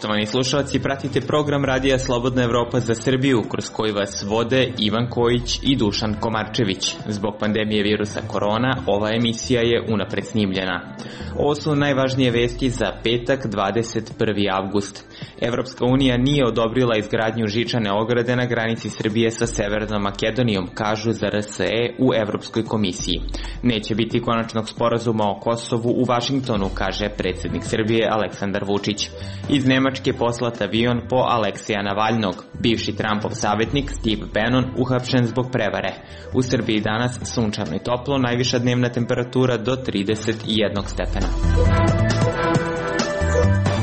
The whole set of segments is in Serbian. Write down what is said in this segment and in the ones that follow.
Poštovani slušalci, pratite program Radija Slobodna Evropa za Srbiju, kroz koji vas vode Ivan Kojić i Dušan Komarčević. Zbog pandemije virusa korona, ova emisija je unapred snimljena. Ovo su najvažnije vesti za petak, 21. avgust. Evropska unija nije odobrila izgradnju žičane ograde na granici Srbije sa Severnom Makedonijom, kažu za RSE u Evropskoj komisiji. Neće biti konačnog sporazuma o Kosovu u Vašingtonu, kaže predsjednik Srbije Aleksandar Vučić. Iz Nemačke poslat avion po Aleksija Navalnog. Bivši Trumpov savjetnik Steve Bannon uhapšen zbog prevare. U Srbiji danas sunčano i toplo, najviša dnevna temperatura do 31 stepena.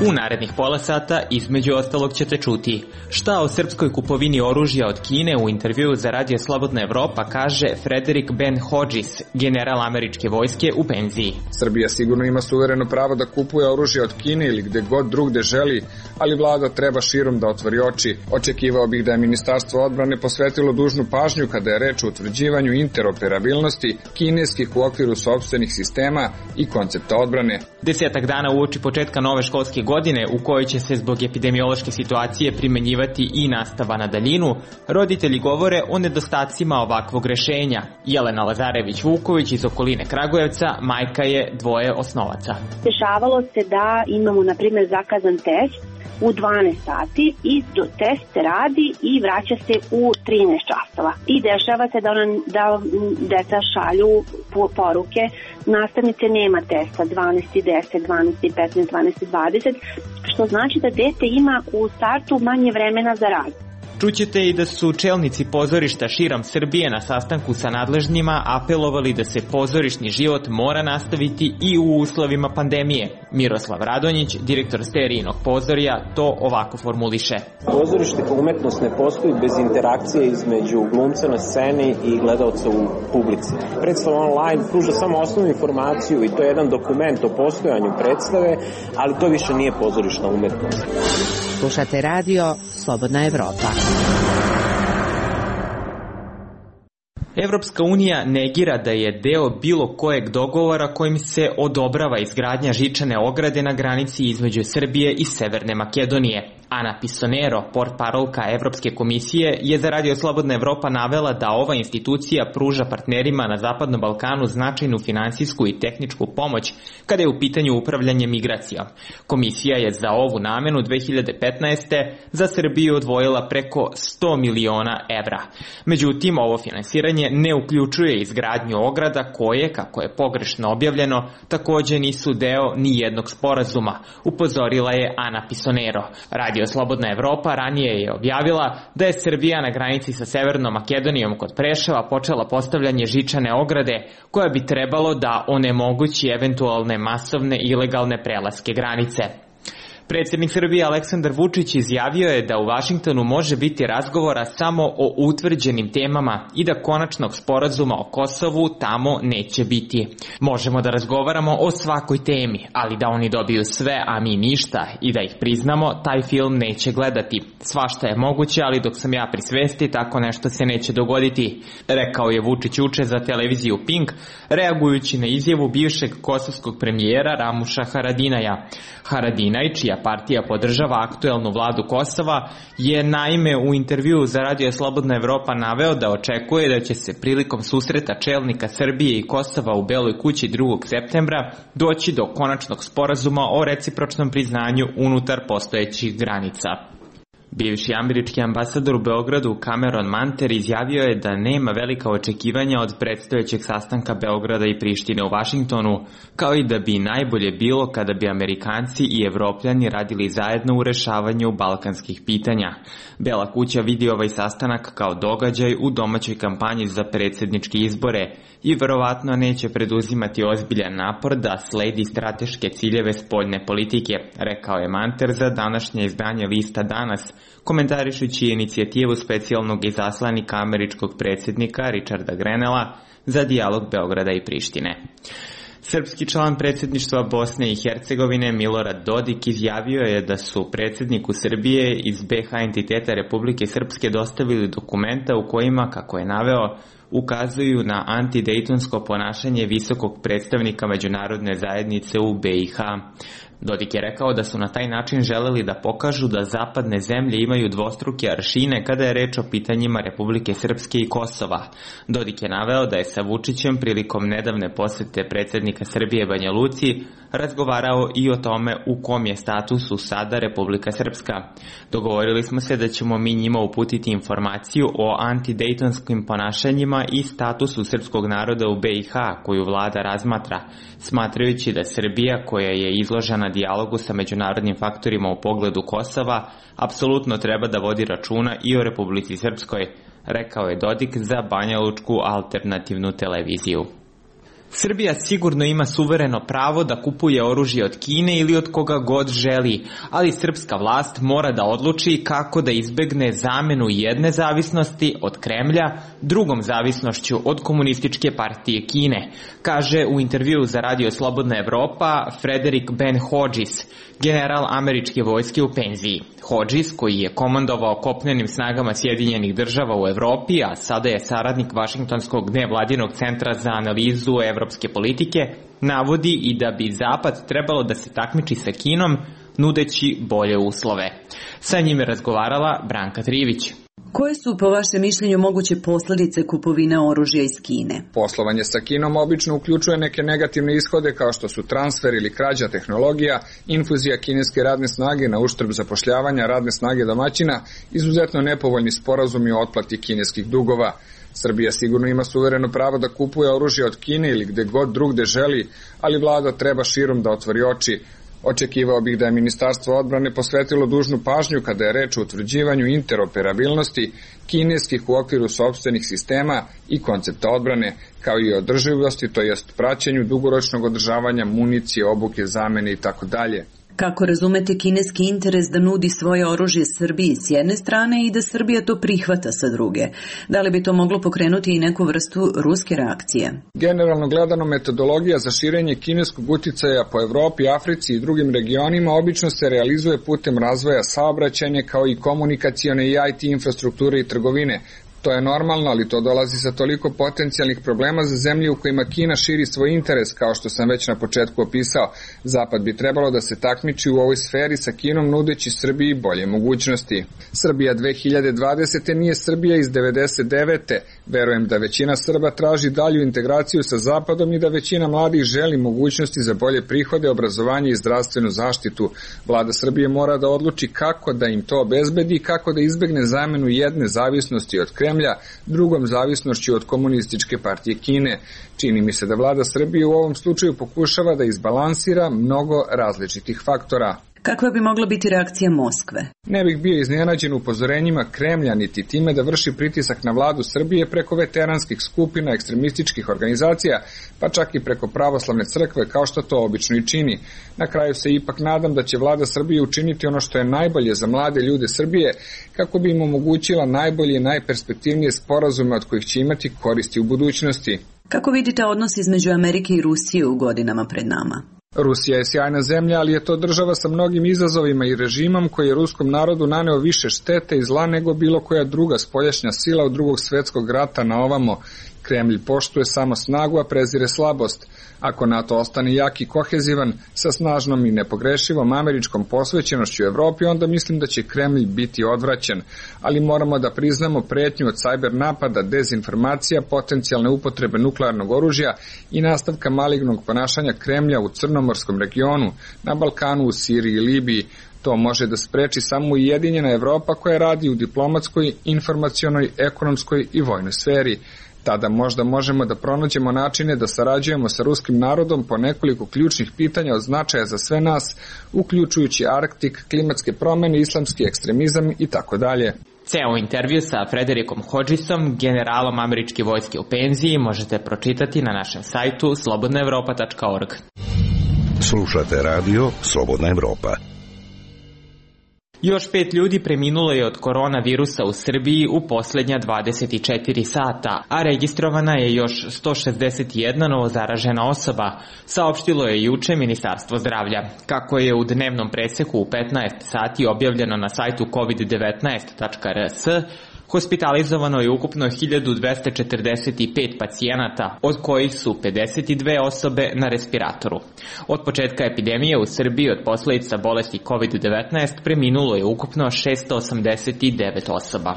U narednih pola sata između ostalog ćete čuti šta o srpskoj kupovini oružja od Kine. U intervjuu za Radio Slobodna Evropa kaže Frederick Ben Hodges, general američke vojske u penziji. Srbija sigurno ima suvereno pravo da kupuje oružje od Kine ili gde god drugde želi, ali vlada treba širom da otvori oči. Očekivao bih da je Ministarstvo odbrane posvetilo dužnu pažnju kada je reč o utvrđivanju interoperabilnosti kineskih u okviru sopstvenih sistema i koncepta odbrane. 10 dana uoči početka nove školske godine, u kojoj će se zbog epidemiološke situacije primenjivati i nastava na daljinu, roditelji govore o nedostacima ovakvog rešenja. Jelena Lazarević-Vuković iz okoline Kragujevca, majka je dvoje osnovaca. Dešavalo se da imamo, na primjer, zakazan test u 12 sati i test se radi i vraća se u 13 časova. I dešava se da deca šalju poruke, nastavnice nema testa 12:10, 12:15, 12:20, što znači da dete ima u startu manje vremena za rad. Čućete i da su čelnici pozorišta širom Srbije na sastanku sa nadležnjima apelovali da se pozorišni život mora nastaviti i u uslovima pandemije. Miroslav Radonjić, direktor Sterijinog pozorja, to ovako formuliše. Pozorište kao umetnost ne postoji bez interakcije između glumca na sceni i gledalca u publici. Predstava online pruža samo osnovnu informaciju i to je jedan dokument o postojanju predstave, ali to više nije pozorišna umetnost. Slušate radio Slobodna Evropa. Evropska unija negira da je deo bilo kojeg dogovora kojim se odobrava izgradnja žičane ograde na granici između Srbije i Severne Makedonije. Ana Pisonero, portparolka Evropske komisije, je za Radio Slobodna Evropa navela da ova institucija pruža partnerima na Zapadnom Balkanu značajnu finansijsku i tehničku pomoć kada je u pitanju upravljanje migracijom. Komisija je za ovu namenu 2015. za Srbiju odvojila preko 100 miliona evra. Međutim, ovo finansiranje ne uključuje izgradnju ograda koje, kako je pogrešno objavljeno, takođe nisu deo ni jednog sporazuma, upozorila je Ana Pisonero. Radio Slobodna Evropa ranije je objavila da je Srbija na granici sa Severnom Makedonijom kod Preševa počela postavljanje žičane ograde koja bi trebalo da onemogući eventualne masovne ilegalne prelaske granice. Predsjednik Srbije Aleksandar Vučić izjavio je da u Vašingtonu može biti razgovora samo o utvrđenim temama i da konačnog sporazuma o Kosovu tamo neće biti. Možemo da razgovaramo o svakoj temi, ali da oni dobiju sve, a mi ništa, i da ih priznamo, taj film neće gledati. Svašta je moguće, ali dok sam ja pri svesti, tako nešto se neće dogoditi, rekao je Vučić juče za televiziju Pink, reagujući na izjavu bivšeg kosovskog premijera Ramuša Haradinaja. Haradinaj, čija partija podržava aktuelnu vladu Kosova, je naime u intervjuu za Radio Slobodna Evropa naveo da očekuje da će se prilikom susreta čelnika Srbije i Kosova u Beloj kući 2. septembra doći do konačnog sporazuma o recipročnom priznanju unutar postojećih granica. Bivši američki ambasador u Beogradu Cameron Manter izjavio je da nema velika očekivanja od predstojećeg sastanka Beograda i Prištine u Vašingtonu, kao i da bi najbolje bilo kada bi Amerikanci i Evropljani radili zajedno u rešavanju balkanskih pitanja. Bela kuća vidi ovaj sastanak kao događaj u domaćoj kampanji za predsjedničke izbore i verovatno neće preduzimati ozbiljan napor da sledi strateške ciljeve spoljne politike, rekao je Manter za današnje izdanje lista Danas, komentarišući inicijativu specijalnog izaslanika američkog predsjednika Richarda Grenella za dijalog Beograda i Prištine. Srpski član predsjedništva Bosne i Hercegovine Milorad Dodik izjavio je da su predsjedniku Srbije iz BH entiteta Republike Srpske dostavili dokumenta u kojima, kako je naveo, ukazuju na antidejtonsko ponašanje visokog predstavnika međunarodne zajednice u BiH. Dodik je rekao da su na taj način želeli da pokažu da zapadne zemlje imaju dvostruke aršine kada je reč o pitanjima Republike Srpske i Kosova. Dodik je naveo da je sa Vučićem prilikom nedavne posete predsjednika Srbije Banja Luci razgovarao i o tome u kom je statusu sada Republika Srpska. Dogovorili smo se da ćemo mi njima uputiti informaciju o antidejtonskim ponašanjima i statusu srpskog naroda u BiH koju vlada razmatra, smatrajući da Srbija, koja je izložena dijalogu sa međunarodnim faktorima u pogledu Kosova, apsolutno treba da vodi računa i o Republici Srpskoj, rekao je Dodik za banjalučku alternativnu televiziju. Srbija sigurno ima suvereno pravo da kupuje oružje od Kine ili od koga god želi, ali srpska vlast mora da odluči kako da izbegne zamenu jedne zavisnosti od Kremlja drugom zavisnošću od Komunističke partije Kine, kaže u intervjuu za Radio Slobodna Evropa Frederick Ben Hodges, general američke vojske u penziji. Hodges, koji je komandovao kopnenim snagama Sjedinjenih država u Evropi, a sada je saradnik Vašingtonskog nevladinog centra za analizu evropske politike, navodi i da bi Zapad trebalo da se takmiči sa Kinom, nudeći bolje uslove. Sa njim je razgovarala Branka Trivić. Koje su, po vašem mišljenju, moguće posljedice kupovine oružja iz Kine? Poslovanje sa Kinom obično uključuje neke negativne ishode kao što su transfer ili krađa tehnologija, infuzija kineske radne snage na uštrb zapošljavanja radne snage domaćina, izuzetno nepovoljni sporazumi o otplati kineskih dugova. Srbija sigurno ima suvereno pravo da kupuje oružje od Kine ili gde god drugde želi, ali vlada treba širom da otvori oči. Očekivao bih da je Ministarstvo odbrane posvetilo dužnu pažnju kada je reč o utvrđivanju interoperabilnosti kineskih u okviru sopstvenih sistema i koncepta odbrane, kao i održivosti, to jest praćenju dugoročnog održavanja municije, obuke, zamene itd. Kako razumete kineski interes da nudi svoje oružje Srbiji s jedne strane i da Srbija to prihvata sa druge? Da li bi to moglo pokrenuti i neku vrstu ruske reakcije? Generalno gledano, metodologija za širenje kineskog uticaja po Evropi, Africi i drugim regionima obično se realizuje putem razvoja saobraćajne kao i komunikacione i IT infrastrukture i trgovine. To je normalno, ali to dolazi sa toliko potencijalnih problema za zemlje u kojima Kina širi svoj interes, kao što sam već na početku opisao. Zapad bi trebalo da se takmiči u ovoj sferi sa Kinom, nudeći Srbiji bolje mogućnosti. Srbija 2020. nije Srbija iz 99. Verujem da većina Srba traži dalju integraciju sa Zapadom i da većina mladih želi mogućnosti za bolje prihode, obrazovanje i zdravstvenu zaštitu. Vlada Srbije mora da odluči kako da im to obezbedi i kako da izbegne zamenu jedne zavisnosti od Kremlja drugom zavisnošću od Komunističke partije Kine. Čini mi se da vlada Srbije u ovom slučaju pokušava da izbalansira mnogo različitih faktora. Kakva bi mogla biti reakcija Moskve? Ne bih bio iznenađen upozorenjima Kremlja niti time da vrši pritisak na vladu Srbije preko veteranskih skupina, ekstremističkih organizacija, pa čak i preko pravoslavne crkve, kao što to obično i čini. Na kraju se ipak nadam da će vlada Srbije učiniti ono što je najbolje za mlade ljude Srbije, kako bi im omogućila najbolje i najperspektivnije sporazume od kojih će imati koristi u budućnosti. Kako vidite odnos između Amerike i Rusije u godinama pred nama? Rusija je sjajna zemlja, ali je to država sa mnogim izazovima i režimom koji je ruskom narodu naneo više štete i zla nego bilo koja druga spoljašnja sila od Drugog svjetskog rata na ovamo. Kremlj poštuje samo snagu, a prezire slabost. Ako NATO ostane jak i kohezivan, sa snažnom i nepogrešivom američkom posvećenošću Evropi, onda mislim da će Kremlj biti odvraćen. Ali moramo da priznamo pretnju od sajber napada, dezinformacija, potencijalne upotrebe nuklearnog oružja i nastavka malignog ponašanja Kremlja u Crnomorskom regionu, na Balkanu, u Siriji i Libiji. To može da spreči samo ujedinjena Evropa koja radi u diplomatskoj, informacionoj, ekonomskoj i vojnoj sferi. Tada možda možemo da pronađemo načine da sarađujemo sa ruskim narodom po nekoliko ključnih pitanja od značaja za sve nas, uključujući Arktik, klimatske promjene, islamski ekstremizam itd. Ceo intervju sa Frederickom Hodgesom, generalom američke vojske u penziji, možete pročitati na našem sajtu slobodnaevropa.org. Slušate radio Slobodna Evropa. Još 5 ljudi preminulo je od koronavirusa u Srbiji u posljednja 24 sata, a registrovana je još 161 novozaražena osoba, saopštilo je juče Ministarstvo zdravlja. Kako je u dnevnom preseku u 15 sati objavljeno na sajtu covid19.rs, Hospitalizovano je ukupno 1245 pacijenata, od kojih su 52 osobe na respiratoru. Od početka epidemije u Srbiji od posljedica bolesti COVID-19 preminulo je ukupno 689 osoba.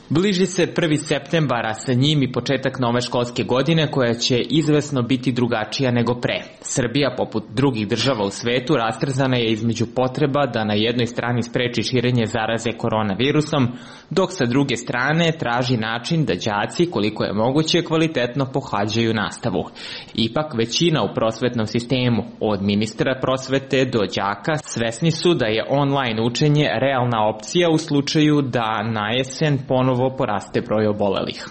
Bliži se 1. septembar, a sa njim i početak nove školske godine koja će izvesno biti drugačija nego pre. Srbija, poput drugih država u svetu, rastrzana je između potreba da na jednoj strani spreči širenje zaraze koronavirusom, dok sa druge strane traži način da đaci, koliko je moguće, kvalitetno pohađaju nastavu. Ipak većina u prosvetnom sistemu, od ministra prosvete do đaka, svesni su da je online učenje realna opcija u slučaju da na jesen ponovo poraste broj obolelih.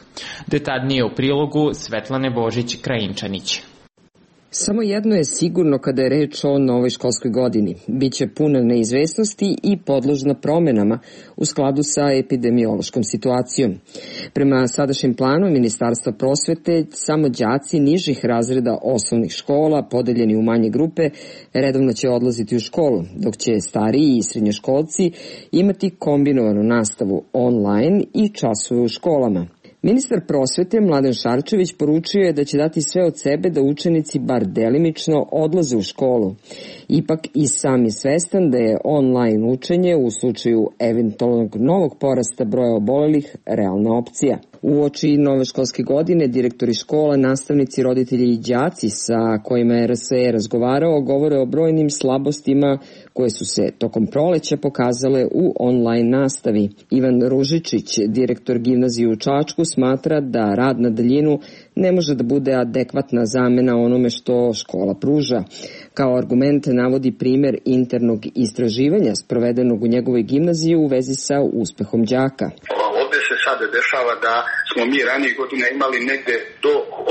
Detaljnije u prilogu Svetlane Božić-Krajinčanić. Samo jedno je sigurno kada je reč o novoj školskoj godini. Biće puna neizvesnosti i podložna promenama u skladu sa epidemiološkom situacijom. Prema sadašnjem planu Ministarstva prosvete, samo đaci nižih razreda osnovnih škola, podeljeni u manje grupe, redovno će odlaziti u školu, dok će stariji i srednjoškolci imati kombinovanu nastavu online i časove u školama. Ministar prosvete Mladen Šarčević poručio je da će dati sve od sebe da učenici bar delimično odlaze u školu. Ipak i sam je svestan da je online učenje u slučaju eventualnog novog porasta broja obolelih realna opcija. Uoči nove školske godine direktori škola, nastavnici, roditelji i đaci sa kojima je RSE razgovarao govore o brojnim slabostima koje su se tokom proleća pokazale u online nastavi. Ivan Ružičić, direktor gimnazije u Čačku, smatra da rad na daljinu ne može da bude adekvatna zamena onome što škola pruža. Kao argument navodi primer internog istraživanja sprovedenog u njegovoj gimnaziji u vezi sa uspehom đaka. Ovde se sada dešava da smo mi ranije godina imali negde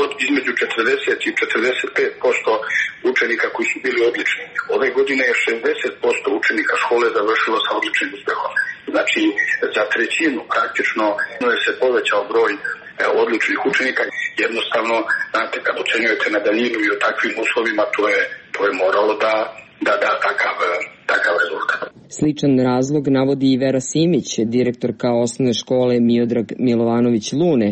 od između 40 i 45% učenika koji su bili odlični. Ove godine je 60% učenika škole završilo sa odličnim uspehom. Znači, za trećinu praktično je se povećao broj odličnih učenika. Jednostavno, znate, kad ocenjujete na daljinu i o takvim uslovima, to je moralo da da takav rezultat. Sličan razlog navodi i Vera Simić, direktorka osnovne škole Miodrag Milovanović Lune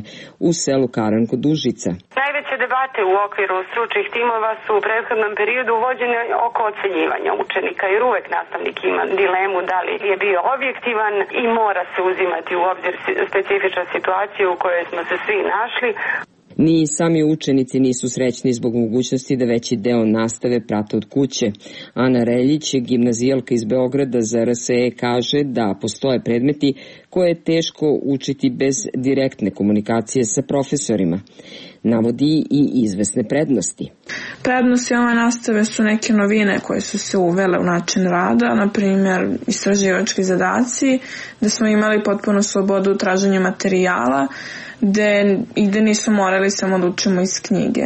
u selu Karan kod Užica. Najveće debate u okviru stručnih timova su u prethodnom periodu vođene oko ocenjivanja učenika, jer uvek nastavnik ima dilemu da li je bio objektivan i mora se uzimati u obzir specifična situacija u kojoj smo se svi našli. Ni sami učenici nisu srećni zbog mogućnosti da veći deo nastave prate od kuće. Ana Reljić, gimnazijalka iz Beograda za RSE, kaže da postoje predmeti koje je teško učiti bez direktne komunikacije sa profesorima. Navodi i izvesne prednosti. Prednosti ove nastave su neke novine koje su se uvele u način rada, na primjer istraživački zadaci, da smo imali potpuno slobodu u traženju materijala, gde nisu morali samo da učimo iz knjige.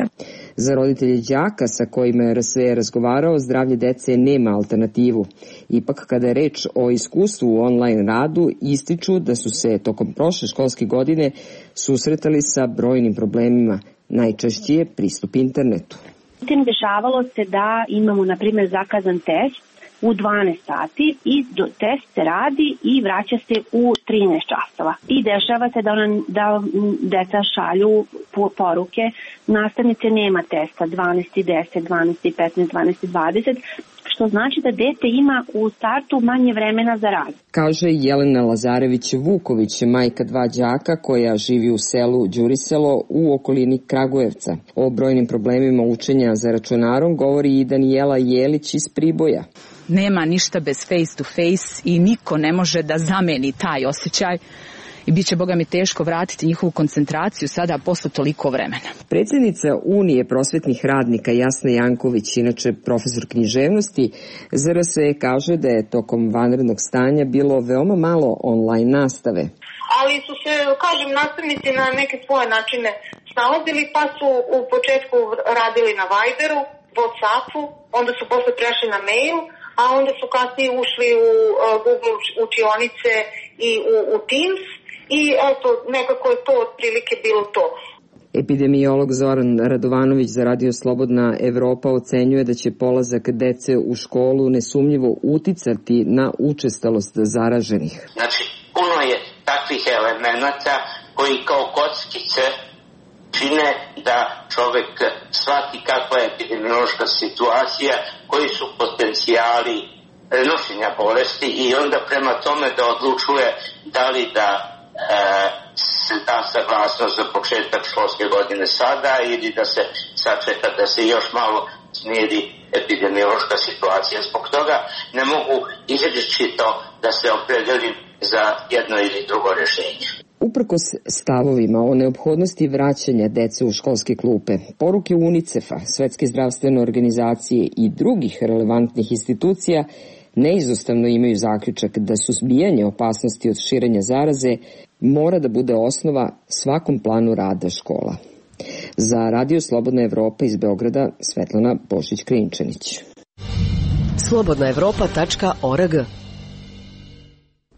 Za roditelje đaka sa kojima je RSE razgovarao, zdravlje dece nema alternativu. Ipak kada je reč o iskustvu u online radu, ističu da su se tokom prošle školske godine susretali sa brojnim problemima. Najčešći je pristup internetu. Dešavalo se da imamo, na primjer, zakazan test u 12 sati i test se radi i vraća se u 13 časova. I dešava se da deca šalju poruke, nastavnice nema testa 12:10, 12:15, 12:20, što znači da dete ima u startu manje vremena za rad. Kaže Jelena Lazarević-Vuković, majka dva đaka koja živi u selu Đuriselo u okolini Kragujevca. O brojnim problemima učenja za računarom govori i Danijela Jelić iz Priboja. Nema ništa bez face to face i niko ne može da zameni taj osjećaj i bit će, Boga mi, teško vratiti njihovu koncentraciju sada posle toliko vremena. Predsjednica Unije prosvetnih radnika Jasna Janković, inače profesor književnosti, za RSE kaže da je tokom vanrednog stanja bilo veoma malo online nastave. Ali su se, kažem, nastavnici na neke svoje načine snalazili, pa su u početku radili na Viberu, WhatsAppu, onda su posle prešli na mail, a onda su kasnije ušli u Google učionice i u Teams i eto, nekako je to otprilike bilo to. Epidemiolog Zoran Radovanović za Radio Slobodna Evropa ocenjuje da će polazak dece u školu nesumnjivo uticati na učestalost zaraženih. Znači, puno je takvih elemenata koji kao kockice čine da čovek shvati kakva je epidemiološka situacija, koji su potencijali prenošenja bolesti i onda prema tome da odlučuje da li da se da saglasnost za početak školske godine sada ili da se sačeka da se još malo smiri epidemiološka situacija. Zbog toga ne mogu izričito da se opredelim za jedno ili drugo rješenje. Uprkos stavovima o neophodnosti vraćanja dece u školske klupe, poruke UNICEF-a, Svetske zdravstvene organizacije i drugih relevantnih institucija neizostavno imaju zaključak da suzbijanje opasnosti od širenja zaraze mora da bude osnova svakom planu rada škola. Za Radio Slobodna Evropa iz Beograda, Svetlana Božić-Krinčanić. slobodnaevropa.org.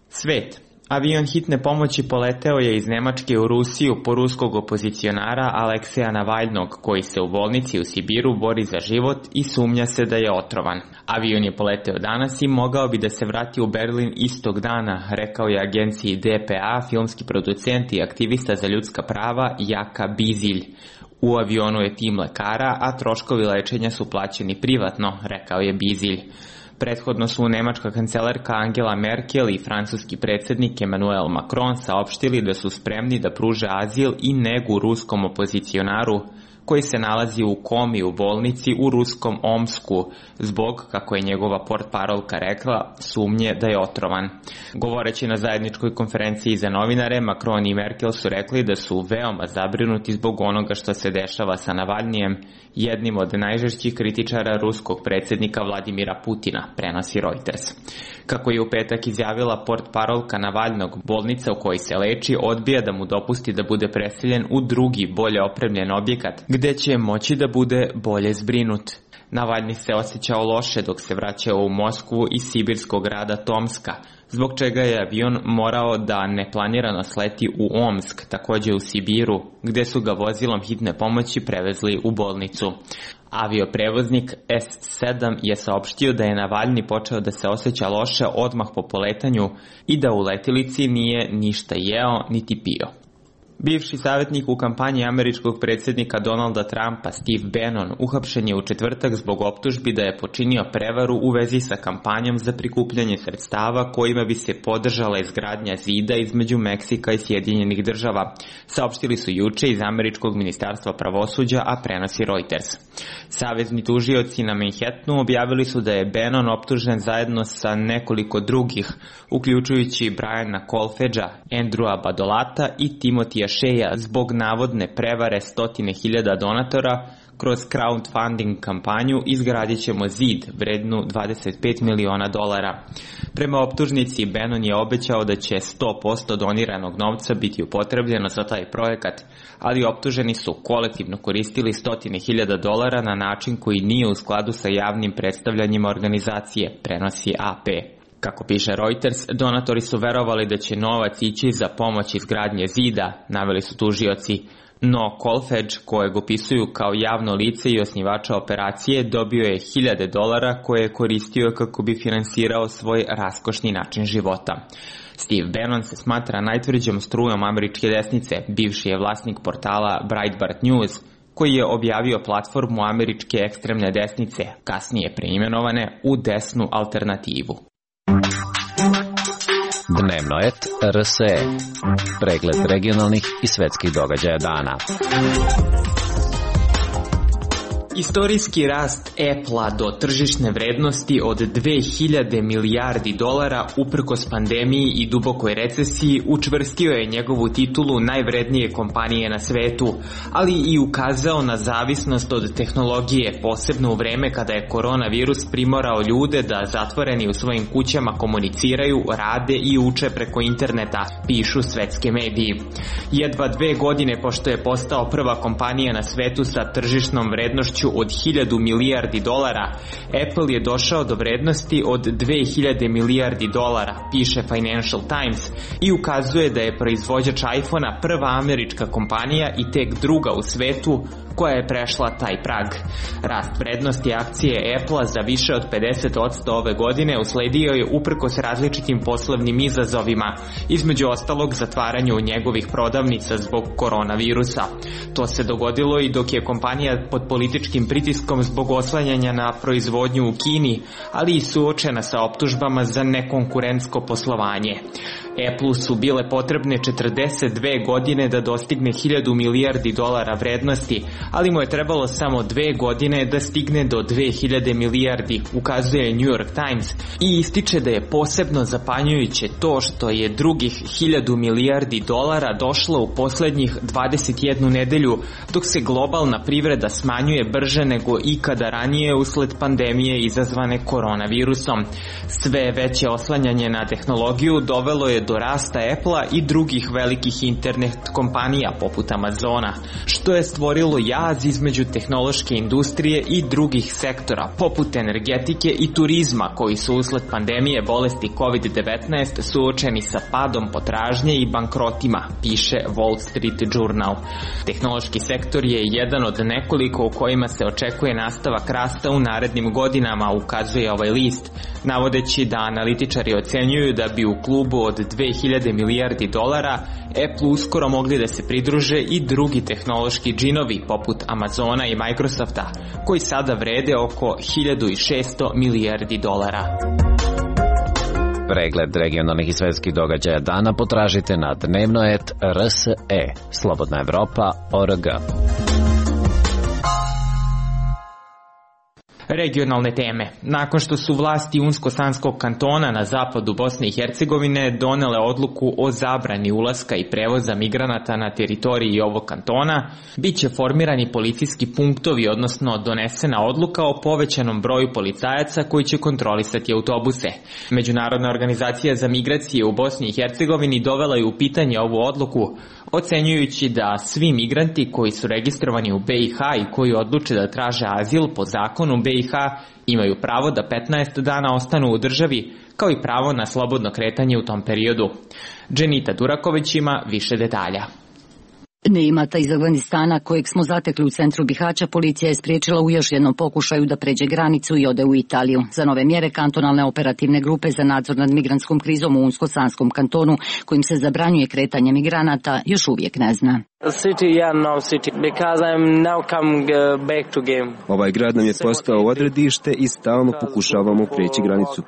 Svet. Avion hitne pomoći poleteo je iz Nemačke u Rusiju po ruskog opozicionara Alekseja Navalnog, koji se u bolnici u Sibiru bori za život i sumnja se da je otrovan. Avion je poleteo danas i mogao bi da se vrati u Berlin istog dana, rekao je agenciji DPA filmski producent i aktivista za ljudska prava Jaka Bizilj. U avionu je tim lekara, a troškovi lečenja su plaćeni privatno, rekao je Bizilj. Prethodno su nemačka kancelarka Angela Merkel i francuski predsjednik Emmanuel Macron saopštili da su spremni da pruže azil i negu ruskom opozicionaru koji se nalazi u komi u bolnici u ruskom Omsku zbog, kako je njegova portparolka rekla, sumnje da je otrovan. Govoreći na zajedničkoj konferenciji za novinare, Macron i Merkel su rekli da su veoma zabrinuti zbog onoga što se dešava sa Navalnijem, jednim od najžešćih kritičara ruskog predsjednika Vladimira Putina, prenosi Reuters. Kako je u petak izjavila portparolka Navalnog, bolnica u kojoj se leči odbija da mu dopusti da bude preseljen u drugi, bolje opremljen objekat, gde će moći da bude bolje zbrinut. Navalni se osjećao loše dok se vraćao u Moskvu iz sibirskog grada Tomska, zbog čega je avion morao da neplanirano sleti u Omsk, također u Sibiru, gde su ga vozilom hitne pomoći prevezli u bolnicu. Avioprevoznik S-7 je saopštio da je Navalni počeo da se osjeća loše odmah po poletanju i da u letilici nije ništa jeo niti pio. Bivši savjetnik u kampanji američkog predsjednika Donalda Trumpa, Steve Bannon, uhapšen je u četvrtak zbog optužbi da je počinio prevaru u vezi sa kampanjom za prikupljanje sredstava kojima bi se podržala izgradnja zida između Meksika i Sjedinjenih Država, saopštili su juče iz američkog ministarstva pravosuđa, a prenosi Reuters. Savezni tužioci na Manhattanu objavili su da je Bannon optužen zajedno sa nekoliko drugih, uključujući Briana Kolfedža, Andrewa Badolata i Timothyja Sheja zbog navodne prevare 100.000 donatora. Kroz crowdfunding kampanju izgradit ćemo zid vrednu $25 miliona. Prema optužnici, Bannon je obećao da će 100% doniranog novca biti upotrebljeno za taj projekat, ali optuženi su kolektivno koristili $100.000 na način koji nije u skladu sa javnim predstavljanjima organizacije, prenosi AP. Kako piše Reuters, donatori su verovali da će novac ići za pomoć izgradnje zida, naveli su tužioci. No Kolfedž, kojeg opisuju kao javno lice i osnivača operacije, dobio je $1.000 koje je koristio kako bi finansirao svoj raskošni način života. Steve Bannon se smatra najtvrđom strujom američke desnice, bivši je vlasnik portala Breitbart News, koji je objavio platformu američke ekstremne desnice, kasnije preimenovane u desnu alternativu. Dnevno et RSE. Pregled regionalnih i svetskih događaja dana. Istorijski rast Apple-a do tržišne vrednosti od $2.000 milijardi uprkos pandemiji i dubokoj recesiji učvrstio je njegovu titulu najvrednije kompanije na svetu, ali i ukazao na zavisnost od tehnologije, posebno u vreme kada je koronavirus primorao ljude da zatvoreni u svojim kućama komuniciraju, rade i uče preko interneta, pišu svetske mediji. Jedva 2 godine pošto je postao prva kompanija na svetu sa tržišnom vrednošću od $1.000 milijardi, Apple je došao do vrednosti od $2.000 milijardi, piše Financial Times, i ukazuje da je proizvođač iPhone-a prva američka kompanija i tek druga u svetu koja je prešla taj prag. Rast vrednosti akcije Apple-a za više od 50% ove godine usledio je uprkos različitim poslovnim izazovima, između ostalog zatvaranju njegovih prodavnica zbog koronavirusa. To se dogodilo i dok je kompanija pod političkim pritiskom zbog oslanjanja na proizvodnju u Kini, ali i suočena sa optužbama za nekonkurentsko poslovanje. Apple-u su bile potrebne 42 godine da dostigne 1000 milijardi dolara vrednosti, ali mu je trebalo samo 2 godine da stigne do 2000 milijardi, ukazuje New York Times, i ističe da je posebno zapanjujuće to što je drugih 1000 milijardi dolara došlo u poslednjih 21 nedelju, dok se globalna privreda smanjuje brže nego ikada ranije usled pandemije izazvane koronavirusom. Sve veće oslanjanje na tehnologiju dovelo je do rasta Apple-a i drugih velikih internet kompanija poput Amazona, što je stvorilo jaz između tehnološke industrije i drugih sektora poput energetike i turizma koji su usled pandemije bolesti COVID-19 suočeni sa padom potražnje i bankrotima, piše Wall Street Journal. Tehnološki sektor je jedan od nekoliko u kojima se očekuje nastavak rasta u narednim godinama, ukazuje ovaj list, navodeći da analitičari ocenjuju da bi u klubu od 2000 milijardi dolara Apple uskoro mogli da se pridruže i drugi tehnološki džinovi poput Amazona i Microsofta, koji sada vrede oko 1600 milijardi dolara. Pregled regionalnih i svetskih događaja dana potražite na dnevno.rs.e, Slobodna Evropa.org. Regionalne teme. Nakon što su vlasti Unsko-Sanskog kantona na zapadu Bosne i Hercegovine donele odluku o zabrani ulaska i prevoza migranata na teritoriji ovog kantona, bit će formirani policijski punktovi, odnosno donesena odluka o povećanom broju policajaca koji će kontrolisati autobuse. Međunarodna organizacija za migracije u Bosni i Hercegovini dovela je u pitanje ovu odluku, ocenjujući da svi migranti koji su registrovani u BiH i koji odluče da traže azil po zakonu BiH imaju pravo da 15 dana ostanu u državi, kao i pravo na slobodno kretanje u tom periodu. Dženita Duraković ima više detalja. Neimata iz Afganistana, kojeg smo zatekli u centru Bihaća, policija je spriječila u još jednom pokušaju da pređe granicu i ode u Italiju. Za nove mjere kantonalne operativne grupe za nadzor nad migrantskom krizom u Unsko-Sanskom kantonu, kojim se zabranjuje kretanje migranata, još uvijek ne zna. Ovaj grad nam je postao odredište i stalno pokušavamo preći granicu.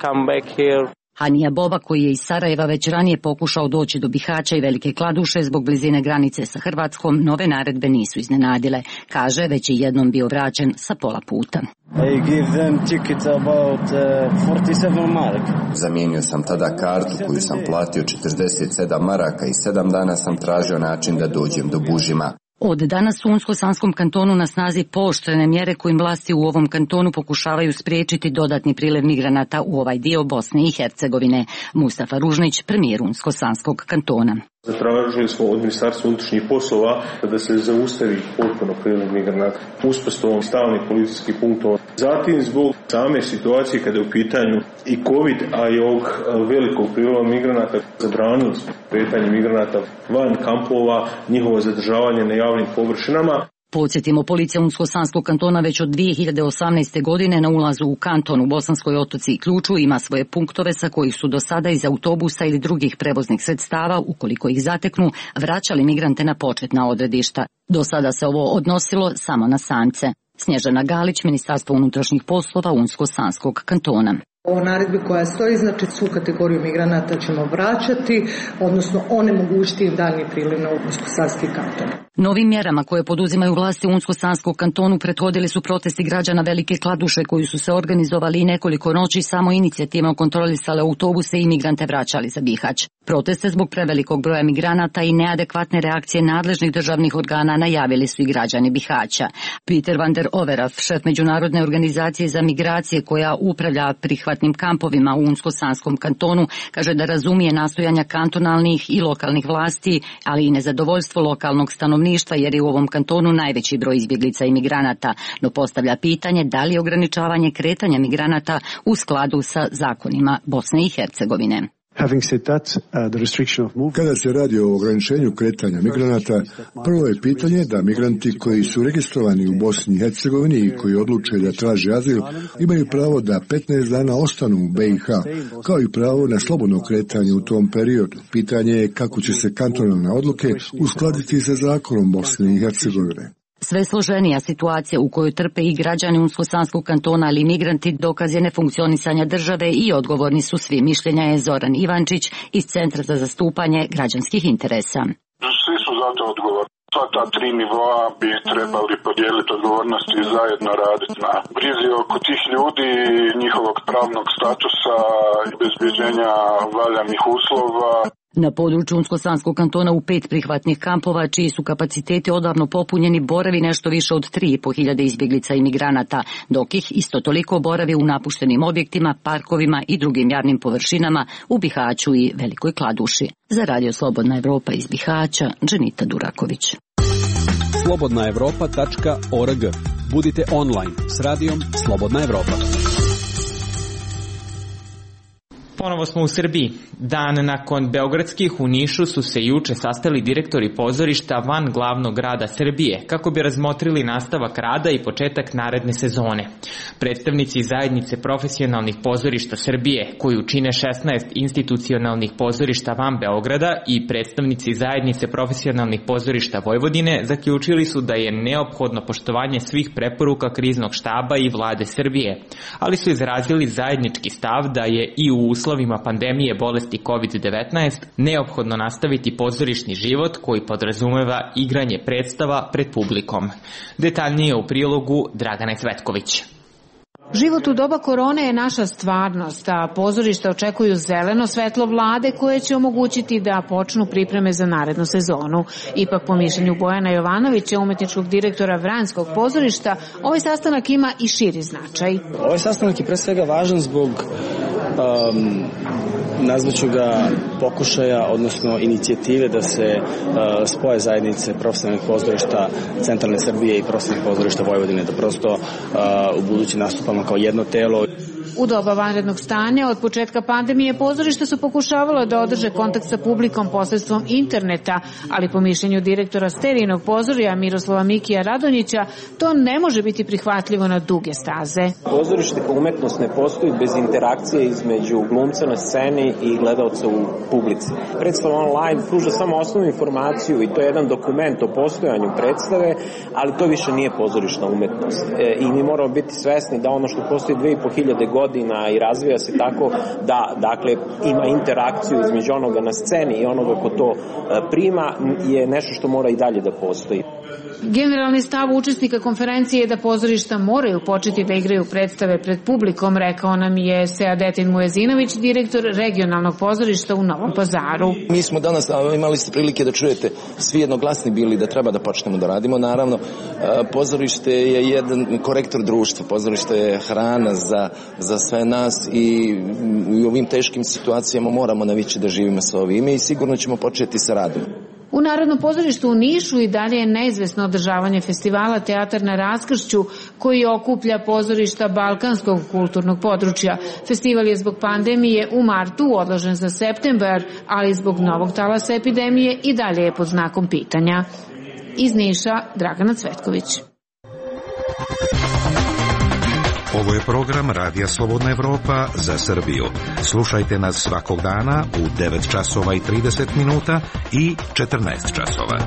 Hanija Boba, koji je iz Sarajeva već ranije pokušao doći do Bihaća i Velike Kladuše zbog blizine granice sa Hrvatskom, nove naredbe nisu iznenadile. Kaže, već je jednom bio vraćen sa pola puta. Zamijenio sam tada kartu koju sam platio 47 maraka i 7 dana sam tražio način da dođem do Bužima. Od danas u Unsko-Sanskom kantonu na snazi pooštrene mjere kojim vlasti u ovom kantonu pokušavaju spriječiti dodatni priliv migranata u ovaj dio Bosne i Hercegovine. Mustafa Ružnić, premijer Unsko-Sanskog kantona. Zatražili smo od Ministarstva unutrašnjih poslova da se zaustavi potpuno priliv migranata uspostavom stalnih policijskih punktova. Zatim zbog same situacije kada je u pitanju i COVID, a i ovog velikog priliva migranata, zabranili smo kretanje migranata van kampova, njihovo zadržavanje na javnim površinama. Podsjetimo, policija Unsko-Sanskog kantona već od 2018. godine na ulazu u kanton u Bosanskoj Otoci i Ključu ima svoje punktove sa kojih su do sada iz autobusa ili drugih prevoznih sredstava, ukoliko ih zateknu, vraćali migrante na početna odredišta. Do sada se ovo odnosilo samo na samce. Snježana Galić, Ministarstvo unutrašnjih poslova Unsko-Sanskog kantona. O naredbi koja stoji, znači svu kategoriju migranata ćemo vraćati, odnosno onemogućiti im daljnji priliv na Unsko-Sanski kanton. Novim mjerama koje poduzimaju vlasti u Unsko-Sanskom kantonu prethodili su protesti građana Velike Kladuše koji su se organizovali i nekoliko noći samo inicijativno kontrolisale autobuse i migrante vraćali za Bihać. Proteste zbog prevelikog broja migranata i neadekvatne reakcije nadležnih državnih organa najavili su i građani Bihaća. Peter van der Overaf, šef Međunarodne organizacije za migracije koja upravlja prihvatnim kampovima u Unsko-Sanskom kantonu, kaže da razumije nastojanja kantonalnih i lokalnih vlasti, ali i nezadovoljstvo lokalnog stanovništva jer je u ovom kantonu najveći broj izbjeglica i migranata, no postavlja pitanje da li je ograničavanje kretanja migranata u skladu sa zakonima Bosne i Hercegovine. Kada se radi o ograničenju kretanja migranata, prvo je pitanje da migranti koji su registrovani u Bosni i Hercegovini i koji odluče da traže azil imaju pravo da 15 dana ostanu u BiH, kao i pravo na slobodno kretanje u tom periodu. Pitanje je kako će se kantonalne odluke uskladiti sa zakonom Bosne i Hercegovine. Sve složenija situacija u kojoj trpe i građani Unsko-Sanskog kantona, ali i migranti, dokaz je nefunkcionisanja države i odgovorni su svi. Mišljenja je Zoran Ivančić iz Centra za zastupanje građanskih interesa. Svi su zato odgovorni. Sva ta 3 nivoa bi trebali podijeliti odgovornosti i zajedno raditi na brizi oko tih ljudi, njihovog pravnog statusa i obezbeđenja valjanih uslova. Na području Unsko-Sanskog kantona u 5 prihvatnih kampova, čiji su kapaciteti odavno popunjeni, boravi nešto više od 3.500 izbjeglica i migranata, dok ih isto toliko boravi u napuštenim objektima, parkovima i drugim javnim površinama u Bihaću i Velikoj Kladuši. Za Radio Slobodna Evropa iz Bihaća, Dženita Duraković. slobodnaevropa.org. Budite online s radijom Slobodna Evropa. Ponovo smo u Srbiji. Dan nakon beogradskih u Nišu su se juče sastali direktori pozorišta van glavnog grada Srbije kako bi razmotrili nastavak rada i početak naredne sezone. Predstavnici zajednice profesionalnih pozorišta Srbije, koju čine 16 institucionalnih pozorišta van Beograda, i predstavnici zajednice profesionalnih pozorišta Vojvodine zaključili su da je neophodno poštovanje svih preporuka kriznog štaba i vlade Srbije, ali su izrazili zajednički stav da je i u uslovima pandemije bolesti COVID-19 neophodno nastaviti pozorišni život koji podrazumeva igranje predstava pred publikom. Detaljnije u prilogu Dragane Cvetković. Život u doba korone je naša stvarnost, a pozorišta očekuju zeleno svetlo vlade koje će omogućiti da počnu pripreme za narednu sezonu. Ipak, po mišljenju Bojana Jovanovića, umetničkog direktora Vranjskog pozorišta, ovaj sastanak ima i širi značaj. Ovaj sastanak je pre svega važan zbog nazvaću ga pokušaja, odnosno inicijative da se spoje zajednice profesionalnih pozorišta centralne Srbije i profesionalnih pozorišta Vojvodine, da prosto u budući nastupamo kao jedno telo. U doba vanrednog stanja od početka pandemije pozorišta su pokušavala da održe kontakt sa publikom posredstvom interneta, ali po mišljenju direktora Sterijinog pozorija Miroslava Mikija Radonjića to ne može biti prihvatljivo na duge staze. Pozorište kao umetnost ne postoji bez interakcije između glumca na sceni i gledaoca u publici. Predstava online pruža samo osnovnu informaciju i to je jedan dokument o postojanju predstave, ali to više nije pozorišna umetnost. I mi moramo biti svesni da ono što postoji 2500 godina i razvija se tako da, dakle, ima interakciju između onoga na sceni i onoga ko to prima, je nešto što mora i dalje da postoji. Generalni stav učesnika konferencije je da pozorišta moraju početi da igraju predstave pred publikom, rekao nam je Seadetin Mujezinović, direktor regionalnog pozorišta u Novom Pazaru. Mi smo danas, imali ste prilike da čujete, svi jednoglasni bili da treba da počnemo da radimo. Naravno, pozorište je jedan korektor društva, pozorište je hrana za sve nas i u ovim teškim situacijama moramo navići da živimo sa ovime i sigurno ćemo početi sa radom. U Narodnom pozorištu u Nišu i dalje je neizvesno održavanje festivala Teatar na raskršću koji okuplja pozorišta balkanskog kulturnog područja. Festival je zbog pandemije u martu odložen za septembar, ali zbog novog talasa epidemije i dalje je pod znakom pitanja. Iz Niša, Dragana Cvetković. Ovo je program Radija Slobodna Evropa za Srbiju. Slušajte nas svakog dana u 9 časova i 30 minuta i 14 časova.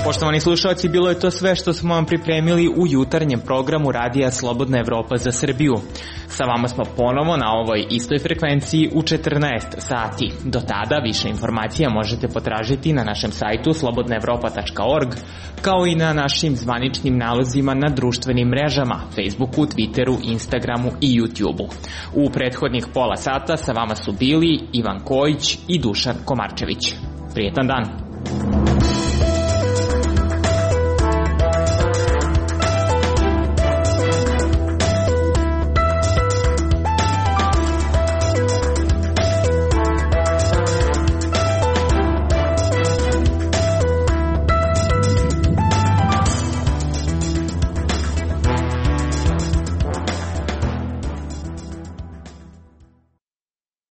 Poštovani slušalci, bilo je to sve što smo vam pripremili u jutarnjem programu Radija Slobodna Evropa za Srbiju. Sa vama smo ponovo na ovoj istoj frekvenciji u 14 sati. Do tada više informacija možete potražiti na našem sajtu slobodnaevropa.org, kao i na našim zvaničnim nalozima na društvenim mrežama, Facebooku, Twitteru, Instagramu i YouTubeu. U prethodnih pola sata sa vama su bili Ivan Kojić i Dušan Komarčević. Prijetan dan!